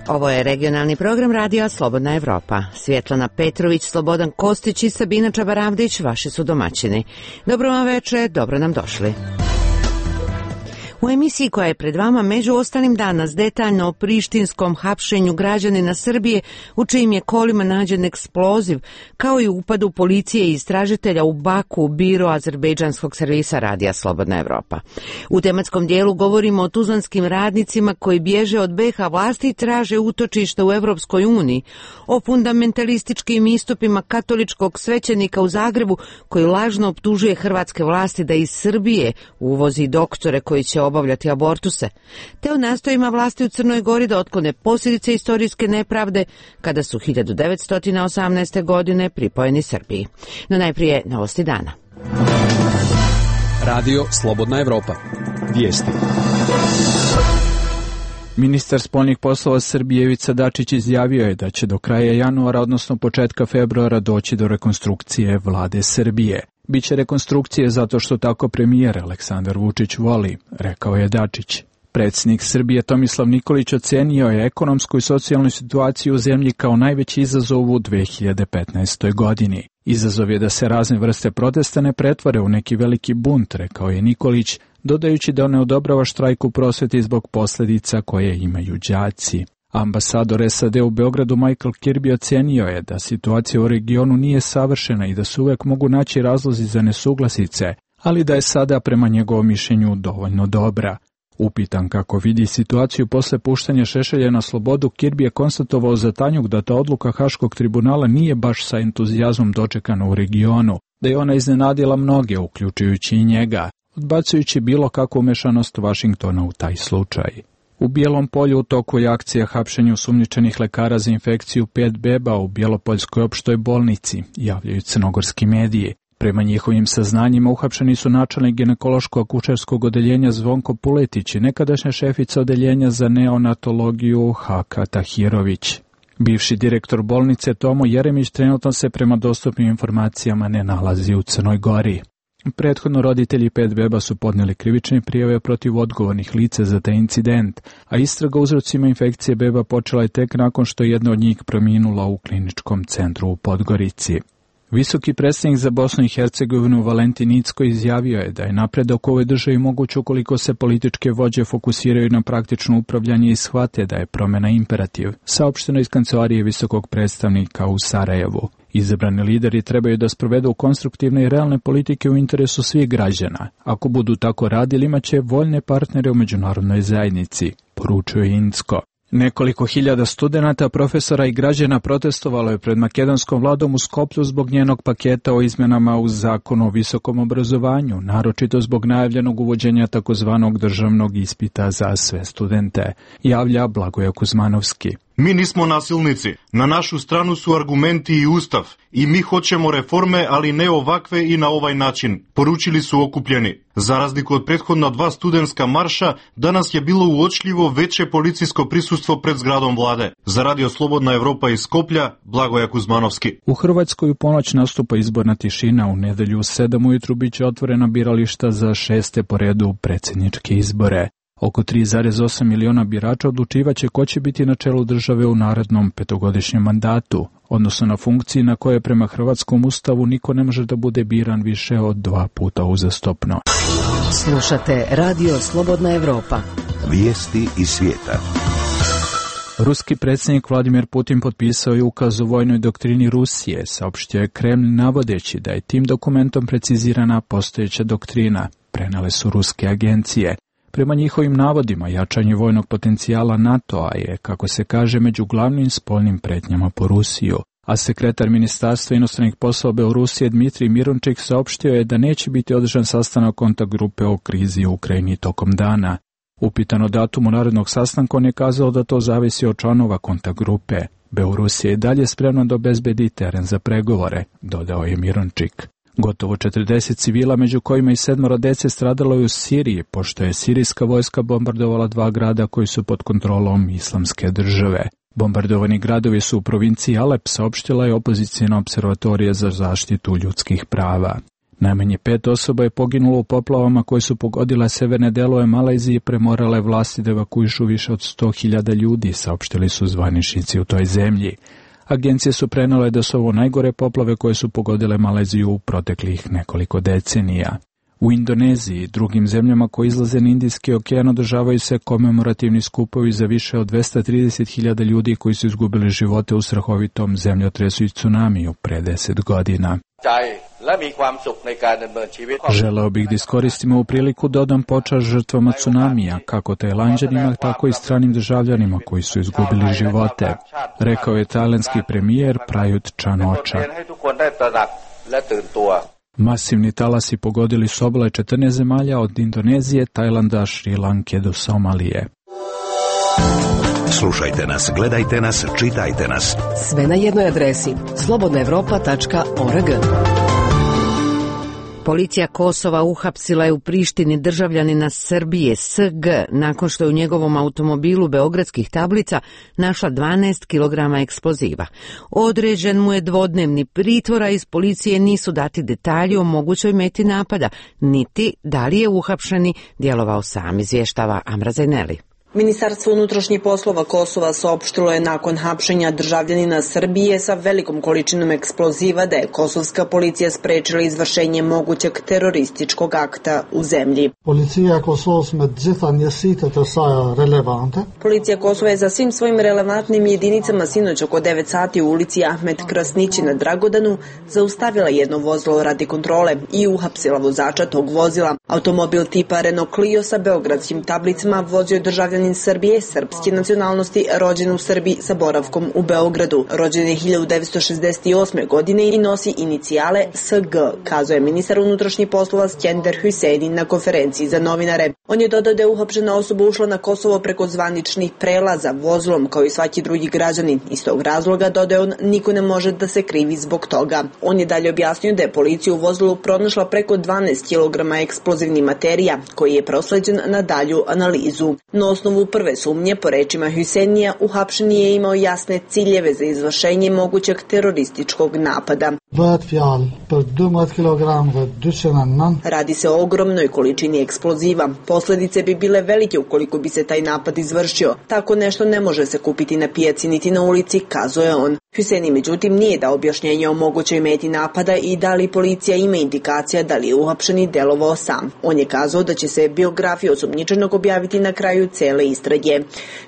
Ovo je regionalni program radija Slobodna Evropa. Svjetlana Petrović, Slobodan Kostić i Sabina Čabaravdić vaši su domaćini. Dobro vam večer, dobro nam došli. U emisiji koja je pred vama među ostalim danas detaljno o prištinskom hapšenju građanina Srbije u čijim je kolima nađen eksploziv, kao i upadu policije i istražitelja u Baku u biro azerbejdžanskog servisa radija Slobodna Evropa. U tematskom dijelu govorimo o tuzlanskim radnicima koji bježe od BiH vlasti i traže utočišta u Evropskoj uniji, o fundamentalističkim istupima katoličkog svećenika u Zagrebu koji lažno optužuje hrvatske vlasti da iz Srbije uvozi doktore koji će obavljati abortuse, te o nastojima vlasti u Crnoj Gori da otklone posljedice istorijske nepravde kada su 1918. godine pripojeni Srbiji. No najprije novosti dana. Radio Slobodna Evropa. Vijesti. Ministar spoljnih poslova Srbije Ivica Dačić izjavio je da će do kraja januara, odnosno početka februara, doći do rekonstrukcije vlade Srbije. Biće rekonstrukcije zato što tako premijer Aleksandar Vučić voli, rekao je Dačić. Predsjednik Srbije Tomislav Nikolić ocenio je ekonomsku i socijalnu situaciju u zemlji kao najveći izazov u 2015. godini. Izazov je da se razne vrste protesta ne pretvore u neki veliki bunt, rekao je Nikolić, dodajući da ne odobrava štrajk u prosvjeti zbog posljedica koje imaju đaci. Ambasador SAD u Beogradu Michael Kirby ocenio je da situacija u regionu nije savršena i da se uvijek mogu naći razlozi za nesuglasice, ali da je sada prema njegovom mišljenju dovoljno dobra. Upitan kako vidi situaciju posle puštanja Šešelja na slobodu, Kirby je konstatovao za Tanjug da ta odluka Haškog tribunala nije baš sa entuzijazmom dočekana u regionu, da je ona iznenadila mnoge, uključujući i njega, odbacujući bilo kakvu umešanost Vašingtona u taj slučaj. U Bijelom Polju u toku je akcija hapšenju sumnjičenih lekara za infekciju 5 beba u Bjelopoljskoj opštoj bolnici, javljaju crnogorski mediji. Prema njihovim saznanjima uhapšeni su načelnik ginekološko-akušerskog odeljenja Zvonko Puletić i nekadašnja šefica odeljenja za neonatologiju Haka Tahirović. Bivši direktor bolnice Tomo Jeremić trenutno se prema dostupnim informacijama ne nalazi u Crnoj Gori. Prethodno roditelji 5 beba su podnijeli krivične prijave protiv odgovornih lica za taj incident, a istraga o uzrocima infekcije beba počela je tek nakon što je jedna od njih preminula u kliničkom centru u Podgorici. Visoki predstavnik za Bosnu i Hercegovinu Valentin Incko izjavio je da je napredak u ovoj državi moguć ukoliko se političke vođe fokusiraju na praktično upravljanje i shvate da je promjena imperativ, saopšteno iz kancelarije visokog predstavnika u Sarajevu. Izabrani lideri trebaju da sprovedu konstruktivne i realne politike u interesu svih građana. Ako budu tako radili, imaće voljne partnere u međunarodnoj zajednici, poručuje Incko. Nekoliko hiljada studenata, profesora i građana protestovalo je pred makedonskom vladom u Skoplju zbog njenog paketa o izmjenama u zakonu o visokom obrazovanju, naročito zbog najavljenog uvođenja takozvanog državnog ispita za sve studente, javlja Blagoje Kuzmanovski. Mi nismo nasilnici. Na našu stranu su argumenti i ustav. I mi hoćemo reforme, ali ne ovakve i na ovaj način, poručili su okupljeni. Za razliku od prethodna 2 studentska marša, danas je bilo uočljivo veće policijsko prisustvo pred zgradom vlade. Za Radio Slobodna Evropa iz Skoplja, Blagoje Kuzmanovski. U Hrvatskoj u ponoć nastupa izborna tišina. U nedelju u 7 ujutru biće otvorena birališta za 6. po redu predsjedničke izbore. Oko 3,8 miliona birača odlučivaće ko će biti na čelu države u narednom 5-godišnjem mandatu, odnosno na funkciji na koje prema hrvatskom ustavu niko ne može da bude biran više od 2 puta uzastopno. Slušate Radio Slobodna Evropa. Vijesti iz svijeta. Ruski predsjednik Vladimir Putin potpisao je ukaz o vojnoj doktrini Rusije, saopštio je Kremlj navodeći da je tim dokumentom precizirana postojeća doktrina, prenele su ruske agencije. Prema njihovim navodima, jačanje vojnog potencijala NATO-a je, kako se kaže, među glavnim spoljnim pretnjama po Rusiju, a sekretar Ministarstva inostranih poslova Belorusije Dmitrij Mirončik saopštio je da neće biti održan sastanak kontakt grupe o krizi u Ukrajini tokom dana. Upitan o datumu narednog sastanka, on je kazao da to zavisi od članova kontakt grupe. Belorusija je dalje spremna da obezbedi teren za pregovore, dodao je Mirončik. Gotovo 40 civila, među kojima i 7 dece, stradalo je u Siriji, pošto je sirijska vojska bombardovala 2 grada koji su pod kontrolom Islamske države. Bombardovani gradovi su u provinciji Alep, saopštila je opozicijna observatorija za zaštitu ljudskih prava. Najmanje 5 osoba je poginulo u poplavama koje su pogodile severne delove Malezije i premorale vlasti da evakuišu više od 100.000 ljudi, saopštili su zvaničnici u toj zemlji. Agencije su prenele da su ovo najgore poplave koje su pogodile Maleziju u proteklih nekoliko decenija. U Indoneziji i drugim zemljama koje izlaze na Indijski okean održavaju se komemorativni skupovi za više od 230.000 ljudi koji su izgubili živote u strahovitom zemljotresu i tsunamiju pre 10 godina. Želeo bih da iskoristimo ovu priliku da odam počast žrtvama tsunamija, kako tajlanđanima, tako i stranim državljanima koji su izgubili živote, rekao je tajlandski premijer Prayut Chan-ocha. Masivni talasi pogodili su obale 14 zemalja od Indonezije, Tajlanda, Šri Lanke do Somalije. Slušajte nas, gledajte nas, čitajte nas. Sve na jednoj adresi slobodnaevropa.org. Policija Kosova uhapsila je u Prištini državljanina Srbije SG nakon što je u njegovom automobilu beogradskih tablica našla 12 kg eksploziva. Određen mu je dvodnevni pritvor, a iz policije nisu dati detalji o mogućoj meti napada, niti da li je uhapšeni djelovao sam, izvještava Amra Zajneli. Ministarstvo unutrašnjih poslova Kosova saopštilo je nakon hapšenja državljanina Srbije sa velikom količinom eksploziva da je kosovska policija sprečila izvršenje mogućeg terorističkog akta u zemlji. Policija Kosova je za svim svojim relevantnim jedinicama sinoć oko 9 sati u ulici Ahmet Krasnići na Dragodanu zaustavila jedno vozilo radi kontrole i uhapsila vozača tog vozila. Automobil tipa Renault Clio sa beogradskim tablicama vozio državljanin Srbije srpske nacionalnosti, rođen u Srbiji sa boravkom u Beogradu. Rođen je 1968. godine i nosi inicijale SG, kazuje ministar unutrašnjih poslova Skender Hüseyin na konferenciji za novinare. On je dodao da je uhapšena osoba ušla na Kosovo preko zvaničnih prelaza vozilom kao i svaki drugi građanin. Iz tog razloga, dodaje on, niko ne može da se krivi zbog toga. On je dalje objasnio da je policija u vozilu pronašla preko 12 kg eksplozivnih materija, koji je prosleđen na dalju analizu. Na osnovu prve sumnje, po rečima Hüseinija, uhapšeni je imao jasne ciljeve za izvršenje mogućeg terorističkog napada. Radi se o ogromnoj količini eksploziva. Posljedice bi bile velike ukoliko bi se taj napad izvršio. Tako nešto ne može se kupiti na pijaci niti na ulici, kazuje on. Hüseini međutim nije dao objašnjenje o mogućoj meti napada i da li policija ima indikacija da li je uhapšeni delovao sam. On je kazao da će se biografija osumnjičenog objaviti na kraju cele istrage.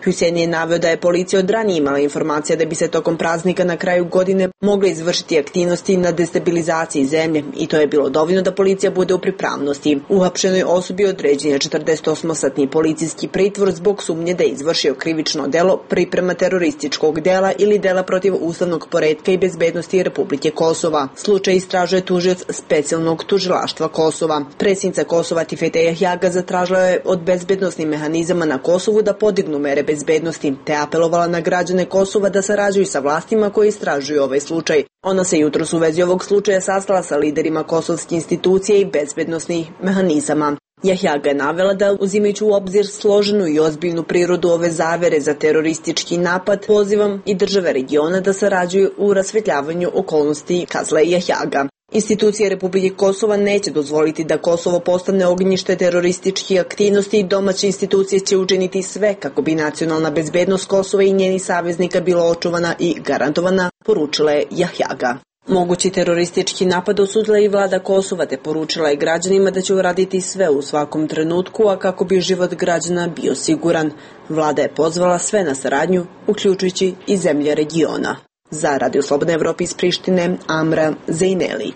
Hüseini je naveo da je policija od ranije imala informacija da bi se tokom praznika na kraju godine mogle izvršiti aktivnosti na destabilizaciji zemlje i to je bilo dovoljno da policija bude u pripravnosti. Uhapšenoj osobi određen je 48-satni policijski pritvor zbog sumnje da je izvršio krivično delo, priprema terorističkog dela ili dela protiv ustavnog poretka i bezbednosti Republike Kosova. Slučaj istražuje tužioc specijalnog tužilaštva Kosova. Predsjednica Kosova Tifete Jahjaga zatražila je od bezbednosnih mehanizama na Kosovu da podignu mere bezbednosti, te apelovala na građane Kosova da sarađuju sa vlastima koji istražuju ovaj slučaj. Ona se jutros u vezi ovog slučaja sastala sa liderima kosovske institucije i bezbednosnih mehanizama. Jahjaga je navela da, uzimajući u obzir složenu i ozbiljnu prirodu ove zavere za teroristički napad, pozivam i države regiona da sarađuju u rasvetljavanju okolnosti, kazala je Jahjaga. Institucije Republike Kosova neće dozvoliti da Kosovo postane ognjište terorističkih aktivnosti i domaće institucije će učiniti sve kako bi nacionalna bezbednost Kosova i njenih saveznika bila očuvana i garantovana, poručila je Jahjaga. Mogući teroristički napad osudila i vlada Kosova te poručila je građanima da će uraditi sve u svakom trenutku, a kako bi život građana bio siguran. Vlada je pozvala sve na saradnju, uključujući i zemlje regiona. Za Radio Slobodna Evropa iz Prištine, Amra Zajneli.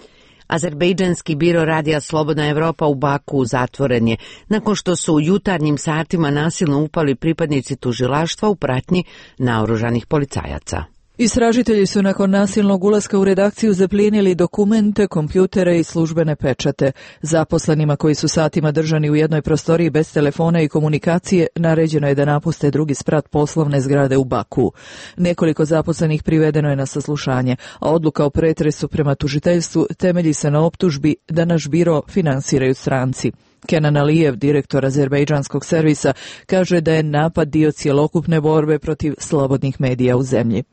Azerbejdžanski biro radija Slobodna Evropa u Baku zatvoren je nakon što su u jutarnjim satima nasilno upali pripadnici tužilaštva u pratnji naoružanih policajaca. Istražitelji su nakon nasilnog ulaska u redakciju zaplijenili dokumente, kompjutere i službene pečate. Zaposlenima koji su satima držani u jednoj prostoriji bez telefona i komunikacije naređeno je da napuste drugi sprat poslovne zgrade u Baku. Nekoliko zaposlenih privedeno je na saslušanje, a odluka o pretresu prema tužiteljstvu temelji se na optužbi da naš biro finansiraju stranci. Kenan Alijev, direktor azerbejdžanskog servisa, kaže da je napad dio cjelokupne borbe protiv slobodnih medija u zemlji.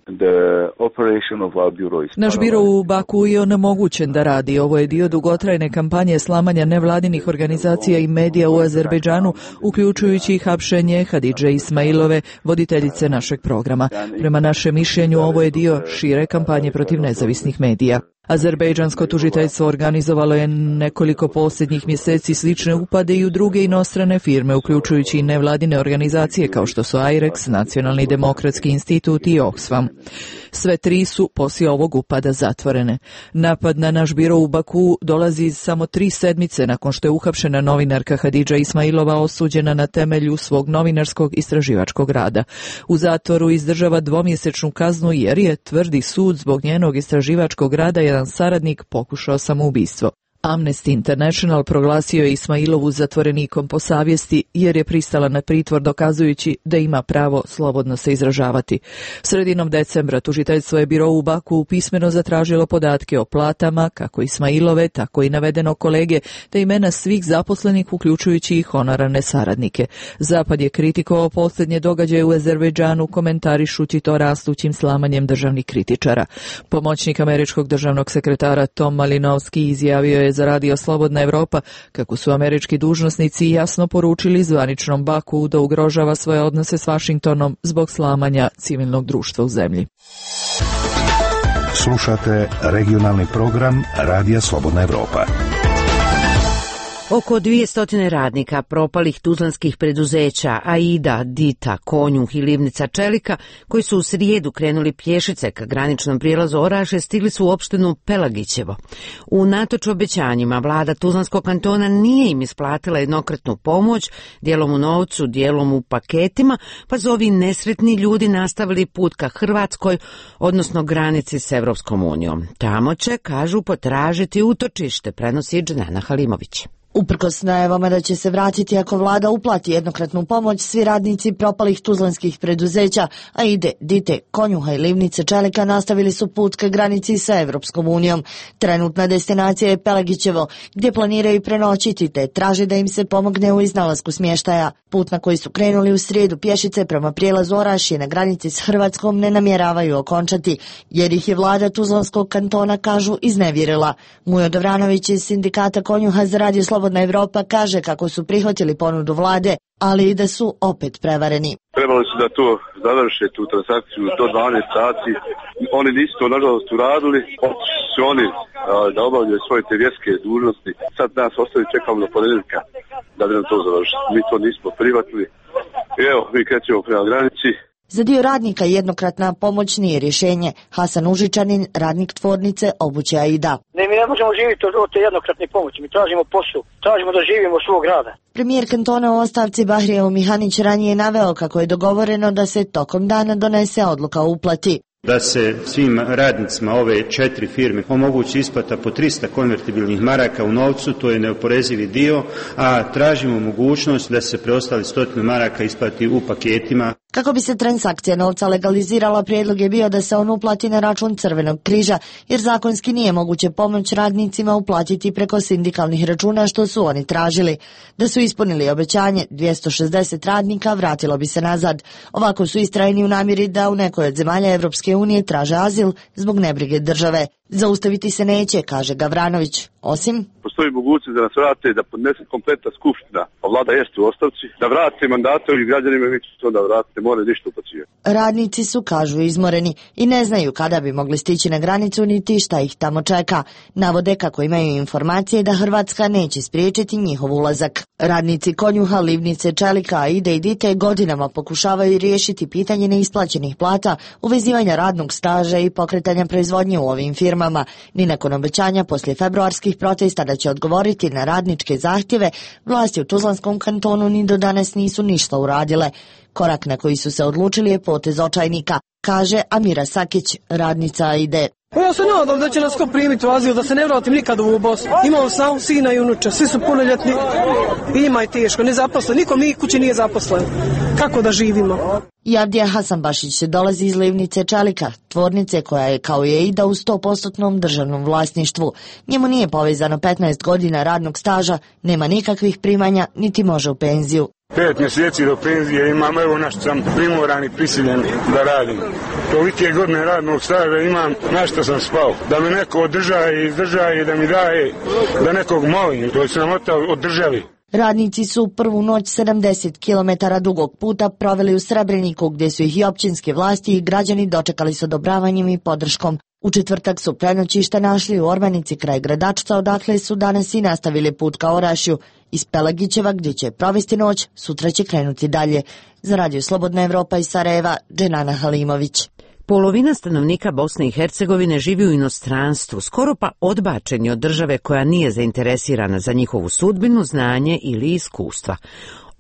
Naš biro u Baku je onemogućen da radi. Ovo je dio dugotrajne kampanje slamanja nevladinih organizacija i medija u Azerbejdžanu, uključujući i hapšenje Hadidže Ismailove, voditeljice našeg programa. Prema našem mišljenju, ovo je dio šire kampanje protiv nezavisnih medija. Azerbejdžansko tužiteljstvo organizovalo je nekoliko posljednjih mjeseci slične upade i u druge inostrane firme, uključujući i nevladine organizacije kao što su IREX, Nacionalni demokratski institut i Oxfam. Sve tri su poslije ovog upada zatvorene. Napad na naš biro u Baku dolazi samo 3 sedmice nakon što je uhapšena novinarka Hadidža Ismailova osuđena na temelju svog novinarskog istraživačkog rada. U zatvoru izdržava 2-mjesečnu kaznu jer je, tvrdi sud, zbog njenog istraživačkog rada jedan saradnik pokušao samoubistvo. Amnesty International proglasio je Ismailovu zatvorenikom po savjesti jer je pristala na pritvor dokazujući da ima pravo slobodno se izražavati. Sredinom decembra tužiteljstvo je biro u Baku pismeno zatražilo podatke o platama, kako Ismailove, tako i navedenog kolege, te imena svih zaposlenih uključujući i honorarne saradnike. Zapad je kritikovao posljednje događaje u Azerbejdžanu, komentarišući to rastućim slamanjem državnih kritičara. Pomoćnik američkog državnog sekretara Tom Malinovski izjavio je za radio Slobodna Evropa kako su američki dužnosnici jasno poručili zvaničnom Baku da ugrožava svoje odnose s Vašingtonom zbog slamanja civilnog društva u zemlji. Slušate regionalni program Radija Slobodna Evropa. Oko 200 radnika propalih tuzlanskih preduzeća Aida, Dita, Konjuh i Livnica Čelika, koji su u srijedu krenuli pješice ka graničnom prijelazu Orašje, stigli su u opštinu Pelagićevo. Unatoč obećanjima, vlada Tuzlanskog kantona nije im isplatila jednokratnu pomoć, dijelom u novcu, dijelom u paketima, pa su ovi nesretni ljudi nastavili put ka Hrvatskoj, odnosno granici s Evropskom unijom. Tamo će, kažu, potražiti utočište, prenosi Dženana Halimović. Uprkos najavama da će se vratiti ako vlada uplati jednokratnu pomoć, svi radnici propalih tuzlanskih preduzeća, Aide, Dite, Konjuha i Livnice Čelika nastavili su put ka granici sa Evropskom unijom. Trenutna destinacija je Pelagićevo, gdje planiraju prenoćiti te traže da im se pomogne u iznalasku smještaja. Put na koji su krenuli u srijedu pješice prema prijelazu Orašje na granici s Hrvatskom ne namjeravaju okončati, jer ih je vlada Tuzlanskog kantona, kažu, iznevjerila. Mujo Dovranović iz sindikata Konjuha za Radio Slobodna Evropa kaže kako su prihvatili ponudu vlade, ali i da su opet prevareni. Trebali su da to završe, tu transakciju do 12 sati. Oni nisu to nažalost uradili, su oni da obavljaju svoje te vjerske dužnosti. Sad nas ostavi, čekamo do ponedjeljka da bi nam to završili. Mi to nismo prihvatili. I evo, mi krećemo prema granici. Za dio radnika jednokratna pomoć nije rješenje. Hasan Užičanin, radnik tvornice obuće Aida. Mi ne možemo živjeti od te jednokratne pomoći, mi tražimo posao, tražimo da živimo svog rada. Premijer kantona u ostavci Bahrijev Mihanić ranije naveo kako je dogovoreno da se tokom dana donese odluka o uplati. Da se svim radnicima ove 4 firme omogući isplata po 300 konvertibilnih maraka u novcu, to je neoporezivi dio, a tražimo mogućnost da se preostali 100 maraka isplati u paketima. Kako bi se transakcija novca legalizirala, prijedlog je bio da se on uplati na račun Crvenog križa, jer zakonski nije moguće pomoć radnicima uplatiti preko sindikalnih računa, što su oni tražili. Da su ispunili obećanje, 260 radnika vratilo bi se nazad. Ovako su istrajni u namjeri da u nekoj od zemalja Evropske unije traže azil zbog nebrige države. Zaustaviti se neće, kaže Gavranović, osim postoji mogućnost da nas vrate, da podnese kompletna skupština, a vlada jeste u ostavci, da vrate mandate ovih građanima i mi će to da vrate, ne more ništa upacivati. Radnici su, kažu, izmoreni i ne znaju kada bi mogli stići na granicu niti šta ih tamo čeka. Navode kako imaju informacije da Hrvatska neće spriječiti njihov ulazak. Radnici Konjuha, Livnice Čelika, Aide i Dite godinama pokušavaju riješiti pitanje neisplaćenih plata, uvezivanja radnog staža i pokretanja proizvodnje u ovim firmama. Ni nakon obećanja poslije februarskih protesta da će odgovoriti na radničke zahtjeve, vlasti u Tuzlanskom kantonu ni do danas nisu ništa uradile. Korak na koji su se odlučili je potez očajnika, kaže Amira Sakić, radnica Aide. Ja se nadam da će nas ko primiti u azil, da se ne vratim nikad u ovu Bosnu. Imam sam sina i unuče, svi su punoljetni i ima je teško, nezaposlen, niko mi kući nije zaposlen. kako da živimo. Javdija Hasanbašić dolazi iz Livnice Čelika, tvornice koja je kao i Eida u 100% državnom vlasništvu. Njemu nije povezano 15 godina radnog staža, nema nikakvih primanja, niti može u penziju. 5 mjeseci do penzije imam, evo na što sam primoran i prisiljen da radim. Tolike godine radnog staža imam, na što sam spao. Da me neko izdrža i da mi daje, da nekog molim, to je sramota od državi. Radnici su prvu noć 70 km dugog puta proveli u Srebreniku, gdje su ih i općinske vlasti i građani dočekali s odobravanjem i podrškom. U četvrtak su prenoćište našli u Ormanici kraj Gradačca, odakle su danas i nastavili put ka Orašju. Iz Pelagićeva, gdje će provesti noć, sutra će krenuti dalje. Za Radio Slobodna Evropa iz Sarajeva, Dženana Halimović. Polovina stanovnika Bosne i Hercegovine živi u inostranstvu, skoro pa odbačeni od države koja nije zainteresirana za njihovu sudbinu, znanje ili iskustva.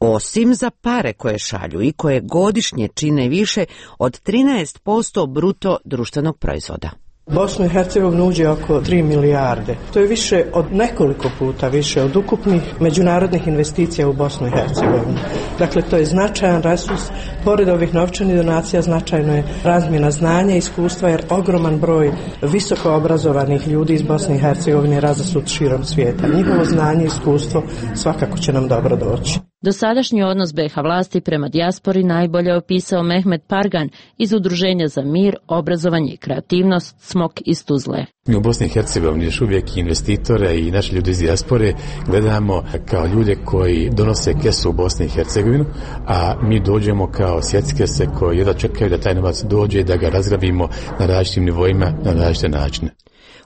Osim za pare koje šalju i koje godišnje čine više od 13% bruto društvenog proizvoda. Bosnu i Hercegovinu uđe oko 3 milijarde. To je više od nekoliko puta više od ukupnih međunarodnih investicija u Bosnu i Hercegovinu. Dakle, to je značajan resurs. Pored ovih novčanih donacija značajno je razmjena znanja i iskustva, jer ogroman broj visoko obrazovanih ljudi iz Bosne i Hercegovine je razasut širom svijeta. Njihovo znanje i iskustvo svakako će nam dobro doći. Dosadašnji odnos BiH vlasti prema dijaspori najbolje opisao Mehmet Pargan iz Udruženja za mir, obrazovanje i kreativnost Smok iz Tuzle. Mi u Bosni i Hercegovini još uvijek investitore i naši ljudi iz dijaspore gledamo kao ljude koji donose kesu u Bosni i Hercegovinu, a mi dođemo kao sjeckese koji jedva čekaju da taj novac dođe i da ga razgrabimo na različitim nivoima, na različite načine.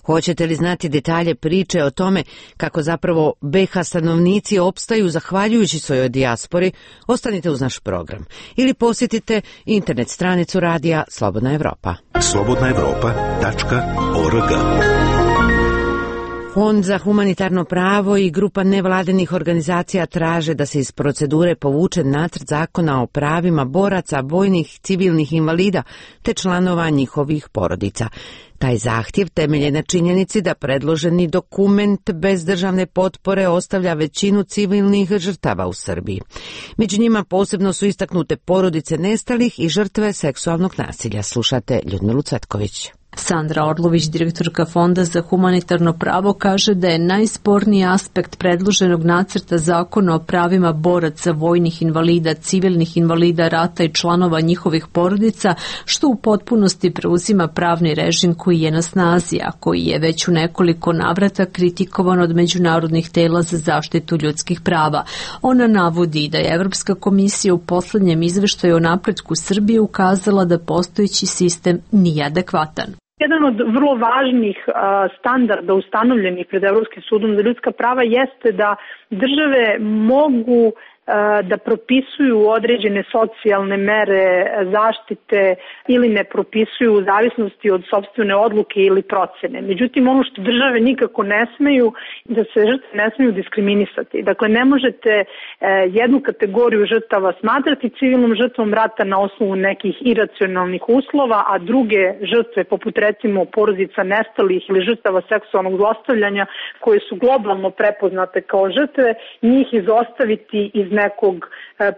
Hoćete li znati detalje priče o tome kako zapravo BiH stanovnici opstaju zahvaljujući svojoj dijaspori? Ostanite uz naš program ili posjetite internet stranicu radija Slobodna Evropa. slobodnaevropa.org. Fond za humanitarno pravo i grupa nevladinih organizacija traže da se iz procedure povuče nacrt zakona o pravima boraca, vojnih, civilnih invalida te članova njihovih porodica. Taj zahtjev temelje na činjenici da predloženi dokument bez državne potpore ostavlja većinu civilnih žrtava u Srbiji. Među njima posebno su istaknute porodice nestalih i žrtve seksualnog nasilja. Slušate Ljudmilu Cvetković. Sandra Orlović, direktorka Fonda za humanitarno pravo, kaže da je najsporniji aspekt predloženog nacrta zakona o pravima boraca, vojnih invalida, civilnih invalida rata i članova njihovih porodica, što u potpunosti preuzima pravni režim koji je na snazi, a koji je već u nekoliko navrata kritikovan od međunarodnih tela za zaštitu ljudskih prava. Ona navodi da je Evropska komisija u poslednjem izveštaju o napretku Srbije ukazala da postojeći sistem nije adekvatan. Jedan od vrlo važnih standarda ustanovljenih pred Evropskim sudom za ljudska prava jeste da države mogu da propisuju određene socijalne mere zaštite ili ne propisuju u zavisnosti od sopstvene odluke ili procene. Međutim, ono što države nikako ne smeju, da se žrtve ne smeju diskriminisati. Dakle, ne možete jednu kategoriju žrtava smatrati civilnom žrtvom rata na osnovu nekih iracionalnih uslova, a druge žrtve, poput recimo porodica nestalih ili žrtava seksualnog zlostavljanja, koje su globalno prepoznate kao žrtve, njih izostaviti iz nekog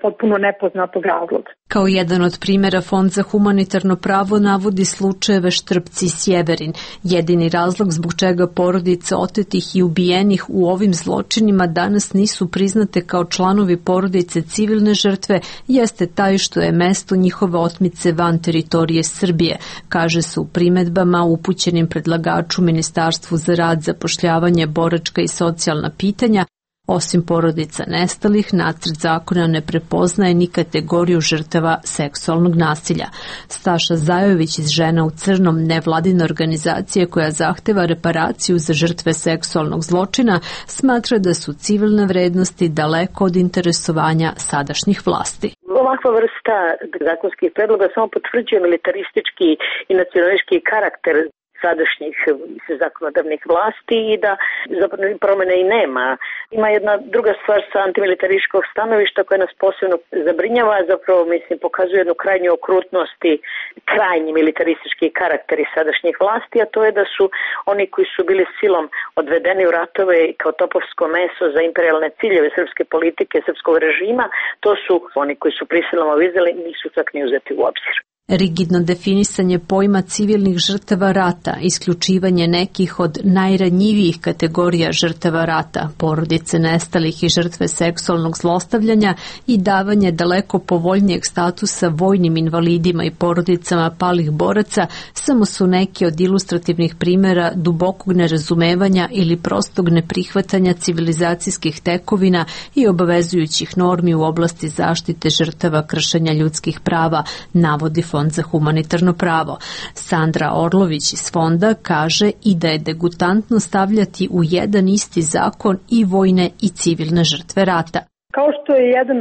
potpuno nepoznatog razloga. Kao jedan od primjera Fond za humanitarno pravo navodi slučajeve Štrpci i Sjeverin. Jedini razlog zbog čega porodice otetih i ubijenih u ovim zločinima danas nisu priznate kao članovi porodice civilne žrtve jeste taj što je mesto njihove otmice van teritorije Srbije, kaže se u primedbama upućenim predlagaču Ministarstvu za rad, zapošljavanje, boračka i socijalna pitanja. Osim porodica nestalih, nacrt zakona ne prepoznaje ni kategoriju žrtava seksualnog nasilja. Staša Zajović iz Žena u crnom, nevladina organizacija koja zahteva reparaciju za žrtve seksualnog zločina, smatra da su civilne vrednosti daleko od interesovanja sadašnjih vlasti. Ovakva vrsta zakonskih predloga samo potvrđuje militaristički i nacionalistički karakter sadašnjih zakonodavnih vlasti i da zapravo promjene i nema. Ima jedna druga stvar sa antimilitarističkog stanovišta koja nas posebno zabrinjava, zapravo mislim pokazuje jednu krajnju okrutnost i krajnji militaristički karakteri sadašnjih vlasti, a to je da su oni koji su bili silom odvedeni u ratove kao topovsko meso za imperijalne ciljeve srpske politike, srpskog režima, to su oni koji su prisilno izveli, nisu čak ni uzeti u obzir. Rigidno definisanje pojma civilnih žrtava rata, isključivanje nekih od najranjivijih kategorija žrtava rata, porodice nestalih i žrtve seksualnog zlostavljanja i davanje daleko povoljnijeg statusa vojnim invalidima i porodicama palih boraca samo su neki od ilustrativnih primjera dubokog nerazumevanja ili prostog neprihvatanja civilizacijskih tekovina i obavezujućih normi u oblasti zaštite žrtava kršenja ljudskih prava, navodi Fond za humanitarno pravo. Sandra Orlović iz fonda kaže i da je degutantno stavljati u jedan isti zakon i vojne i civilne žrtve rata. Kao što je jedan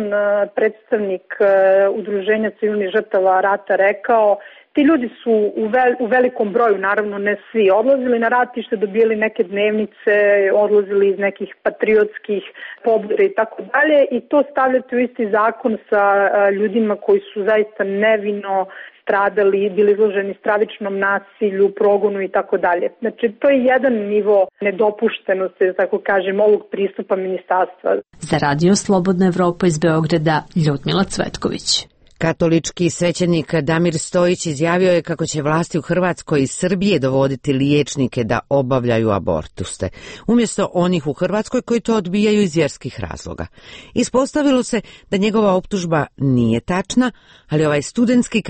predstavnik Udruženja civilnih žrtava rata rekao, ti ljudi su u velikom broju, naravno ne svi, odlazili na ratište, dobijali neke dnevnice, odlazili iz nekih patriotskih pobuda i tako dalje i to stavljati u isti zakon sa ljudima koji su zaista nevino stradali, bili izloženi stravičnom nasilju, progonu i tako dalje. Znači, to je jedan nivo nedopuštenosti, tako kažem, ovog pristupa ministarstva. Za Radio Slobodna Evropa iz Beograda, Ljudmila Cvetković. Katolički svećenik Damir Stojić izjavio je kako će vlasti u Hrvatskoj i Srbije dovoditi liječnike da obavljaju abortuste, umjesto onih u Hrvatskoj koji to odbijaju iz vjerskih razloga. Ispostavilo se da njegova optužba nije tačna, ali ovaj studentski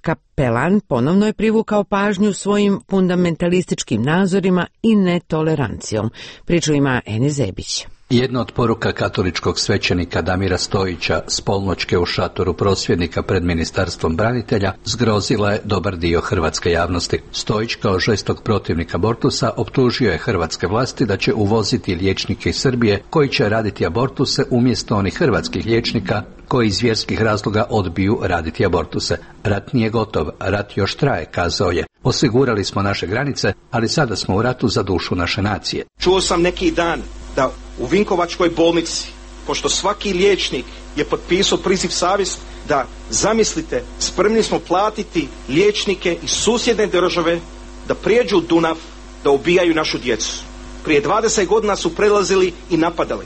kapelan ponovno je privukao pažnju svojim fundamentalističkim nazorima i netolerancijom. Priču ima Eni Zebić. Jedna od poruka katoličkog svećenika Damira Stojića s polnoćke u šatoru prosvjednika pred Ministarstvom branitelja zgrozila je dobar dio hrvatske javnosti. Stojić kao žestog protivnik abortusa optužio je hrvatske vlasti da će uvoziti liječnike iz Srbije koji će raditi abortuse umjesto onih hrvatskih liječnika koji iz vjerskih razloga odbiju raditi abortuse. Rat nije gotov, rat još traje, kazao je. Osigurali smo naše granice, ali sada smo u ratu za dušu naše nacije. Čuo sam neki dan da u Vinkovačkoj bolnici, pošto svaki liječnik je potpisao priziv savjesti, da zamislite, spremni smo platiti liječnike iz susjedne države da prijeđu Dunav, da ubijaju našu djecu. Prije 20 godina su prelazili i napadali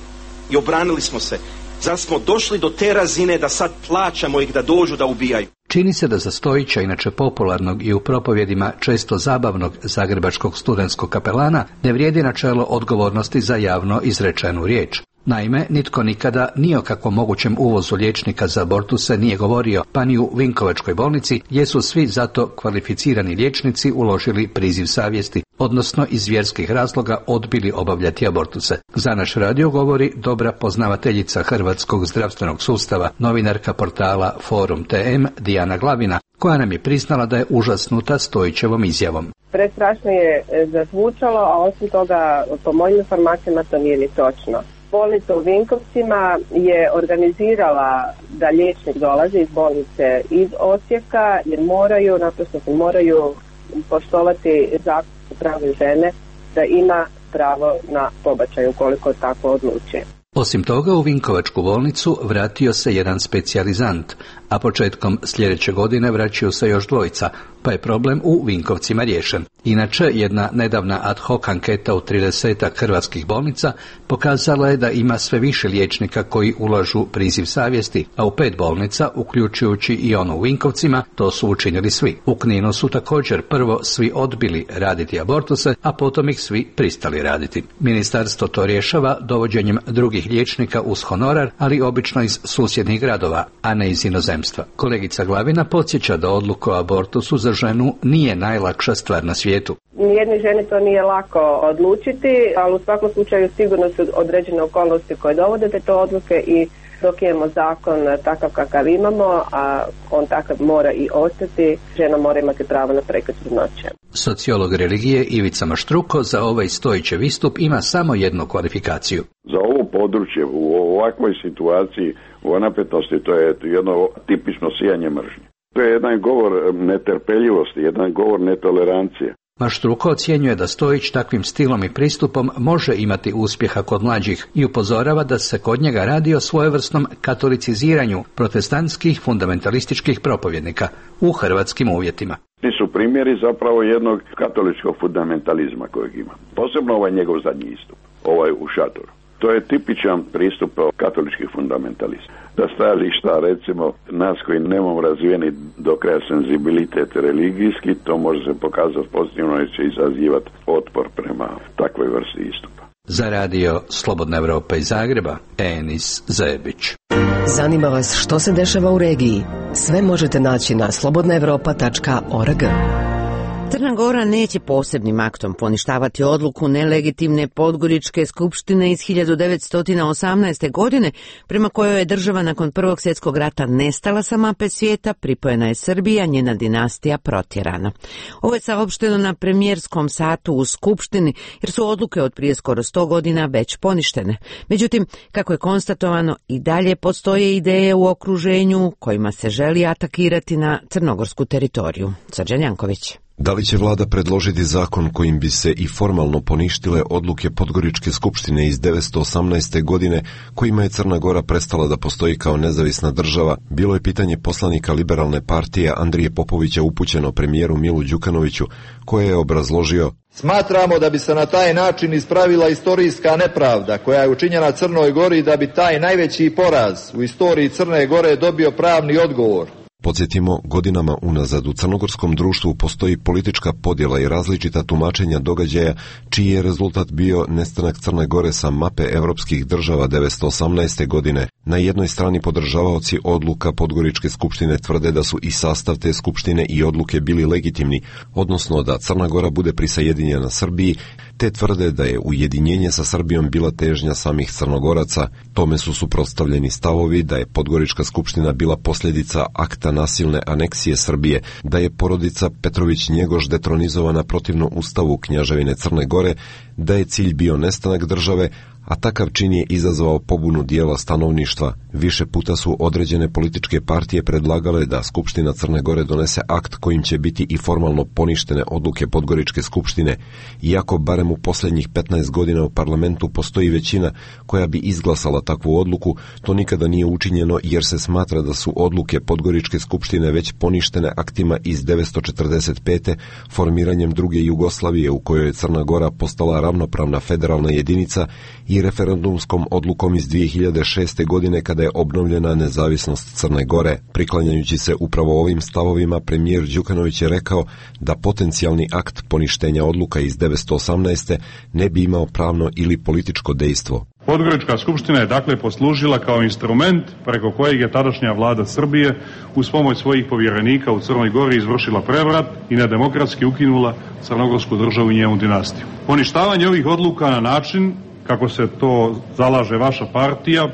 i obranili smo se. Zar smo došli do te razine da sad plaćamo ih da dođu da ubijaju? Čini se da za Stojića, inače popularnog i u propovjedima često zabavnog zagrebačkog studentskog kapelana, ne vrijedi načelo odgovornosti za javno izrečenu riječ. Naime, nitko nikada ni o kakvom mogućem uvozu liječnika za abortuse nije govorio, pa ni u Vinkovačkoj bolnici, gdje su svi zato kvalificirani liječnici uložili priziv savjesti, odnosno iz vjerskih razloga odbili obavljati abortuse. Za naš radio govori dobra poznavateljica hrvatskog zdravstvenog sustava, novinarka portala Forum TM Dijana Glavina, koja nam je priznala da je užasnuta Stojićevom izjavom. Prestrašno je zazvučalo, a osim toga, po mojim informacijama, to nije ni točno. Bolnica u Vinkovcima je organizirala da liječnik dolazi iz bolnice iz Osijeka jer moraju poštovati zakon o pravu žene da ima pravo na pobačaj ukoliko tako odluči. Osim toga, u Vinkovačku bolnicu vratio se jedan specijalizant, a početkom sljedeće godine vraćaju se još dvojica, pa je problem u Vinkovcima riješen. Inače, jedna nedavna ad hoc anketa u 30 hrvatskih bolnica pokazala je da ima sve više liječnika koji ulažu priziv savjesti, a u 5 bolnica, uključujući i onu u Vinkovcima, to su učinili svi. U Kninu su također prvo svi odbili raditi abortuse, a potom ih svi pristali raditi. Ministarstvo to rješava dovođenjem drugih liječnika uz honorar, ali obično iz susjednih gradova, a ne iz inozemstva. Kolegica Glavina podsjeća da odluka o abortusu za ženu nije najlakša stvar na svijetu. Nijednoj ženi to nije lako odlučiti, ali u svakom slučaju sigurno su određene okolnosti koje dovode do te odluke i dok imamo zakon takav kakav imamo, a on takav mora i ostati, žena mora imati pravo na prekid trudnoće. Sociolog religije Ivica Maštruko za ovaj Stojićev istup ima samo jednu kvalifikaciju. Za ovo područje, u ovakvoj situaciji, u napetosti, to je jedno tipično sijanje mržnje. To je jedan govor netrpeljivosti, jedan govor netolerancije. Maštruko ocjenjuje da Stojić takvim stilom i pristupom može imati uspjeha kod mlađih i upozorava da se kod njega radi o svojevrsnom katoliciziranju protestantskih fundamentalističkih propovjednika u hrvatskim uvjetima. Ti su primjeri zapravo jednog katoličkog fundamentalizma kojeg ima. Posebno ovaj njegov zadnji istup, ovaj u šatoru. To je tipičan pristup katoličkih fundamentalista. Da stajališta, recimo, nas koji nemamo razvijeni do kraja senzibilitet religijski, to može se pokazati pozitivno i će izazivati otpor prema takvoj vrsti istupa. Za radio Slobodna Evropa iz Zagreba, Enis Zebić. Zanima vas što se dešava u regiji? Sve možete naći na slobodnaevropa.org. Crna Gora neće posebnim aktom poništavati odluku nelegitimne Podgoričke skupštine iz 1918. godine, prema kojoj je država nakon Prvog svjetskog rata nestala sa mape svijeta, pripojena je Srbija, njena dinastija protjerana. Ovo je saopšteno na premijerskom satu u Skupštini, jer su odluke od prije skoro 100 godina već poništene. Međutim, kako je konstatovano, i dalje postoje ideje u okruženju kojima se želi atakirati na crnogorsku teritoriju. Srđan Janković. Da li će vlada predložiti zakon kojim bi se i formalno poništile odluke Podgoričke skupštine iz 1918. godine, kojima je Crna Gora prestala da postoji kao nezavisna država, bilo je pitanje poslanika Liberalne partije Andrije Popovića upućeno premijeru Milu Đukanoviću, koje je obrazložio: Smatramo da bi se na taj način ispravila istorijska nepravda koja je učinjena Crnoj Gori, da bi taj najveći poraz u istoriji Crne Gore dobio pravni odgovor. Podsjetimo, godinama unazad u crnogorskom društvu postoji politička podjela i različita tumačenja događaja, čiji je rezultat bio nestanak Crne Gore sa mape evropskih država 1918. godine. Na jednoj strani podržavaoci odluka Podgoričke skupštine tvrde da su i sastav te skupštine i odluke bili legitimni, odnosno da Crna Gora bude prisajedinjena Srbiji, te tvrde da je ujedinjenje sa Srbijom bila težnja samih Crnogoraca. Tome su suprotstavljeni stavovi da je Podgorička skupština bila posljedica akta nasilne aneksije Srbije, da je porodica Petrović-Njegoš detronizovana protivno ustavu Kneževine Crne Gore, da je cilj bio nestanak države, a takav čin je izazvao pobunu dijela stanovništva. Više puta su određene političke partije predlagale da Skupština Crne Gore donese akt kojim će biti i formalno poništene odluke Podgoričke skupštine, iako barem u posljednjih 15 godina u parlamentu postoji većina koja bi izglasala takvu odluku, to nikada nije učinjeno jer se smatra da su odluke Podgoričke skupštine već poništene aktima iz 1945. formiranjem druge Jugoslavije u kojoj je Crna Gora postala ravnopravna federalna jedinica i referendumskom odlukom iz 2006. godine kada je obnovljena nezavisnost Crne Gore. Priklanjajući se upravo ovim stavovima, premijer Đukanović je rekao da potencijalni akt poništenja odluka iz 1918. ne bi imao pravno ili političko dejstvo. Podgorička skupština je dakle poslužila kao instrument preko kojeg je tadašnja vlada Srbije uz pomoć svojih povjerenika u Crnoj Gori izvršila prevrat i nedemokratski ukinula crnogorsku državu i njenu dinastiju. Poništavanje ovih odluka na način kako se to zalaže vaša partija,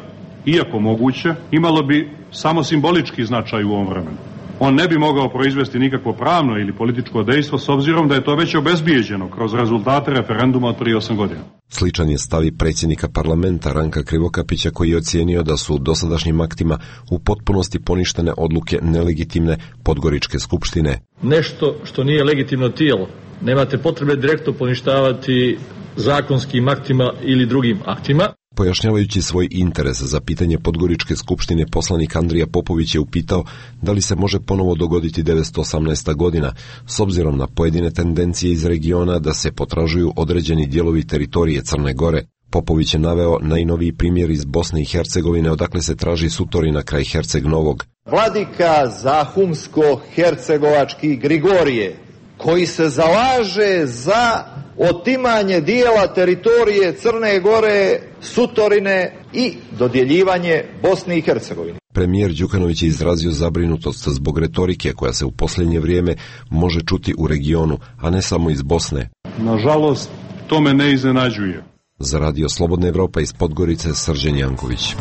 iako moguće, imalo bi samo simbolički značaj u ovom vremenu. On ne bi mogao proizvesti nikakvo pravno ili političko dejstvo s obzirom da je to već obezbijeđeno kroz rezultate referenduma od prije 8 godina. Sličan je stav i predsjednika parlamenta Ranka Krivokapića, koji je ocijenio da su dosadašnjim aktima u potpunosti poništene odluke nelegitimne Podgoričke skupštine. Nešto što nije legitimno tijelo, nemate potrebe direktno poništavati zakonskim aktima ili drugim aktima. Pojašnjavajući svoj interes za pitanje Podgoričke skupštine, poslanik Andrija Popović je upitao da li se može ponovo dogoditi 1918. godina, s obzirom na pojedine tendencije iz regiona da se potražuju određeni dijelovi teritorije Crne Gore. Popović je naveo najnoviji primjer iz Bosne i Hercegovine, odakle se traži Sutorina kraj Herceg Novog. Vladika Zahumsko-Hercegovački Grigorije, koji se zalaže za otimanje dijela teritorije Crne Gore, Sutorine i dodjeljivanje Bosni i Hercegovine. Premijer Đukanović je izrazio zabrinutost zbog retorike koja se u posljednje vrijeme može čuti u regionu, a ne samo iz Bosne. Nažalost, to me ne iznenađuje. Za radio Slobodna Evropa iz Podgorice, Srđan Janković.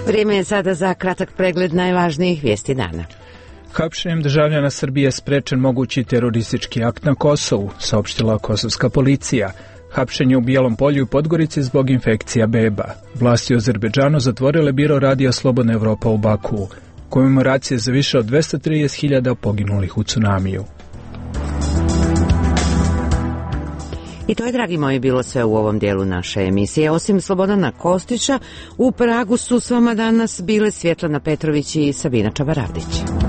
Vrijeme je sada za kratak pregled najvažnijih vijesti dana. Hapšenjem državljana Srbije sprečen mogući teroristički akt na Kosovu, saopštila kosovska policija. Hapšenje u Bijelom Polju i Podgorici zbog infekcija beba. Vlasti u Azerbejdžanu zatvorile biro radija Slobodna Evropa u Bakuu. komemoracije za više od 230.000 poginulih u tsunamiju. I to je, dragi moji, bilo sve u ovom dijelu naše emisije. Osim Slobodana Kostića, u Pragu su s vama danas bile Svjetlana Petrović i Sabina Čabaravdić.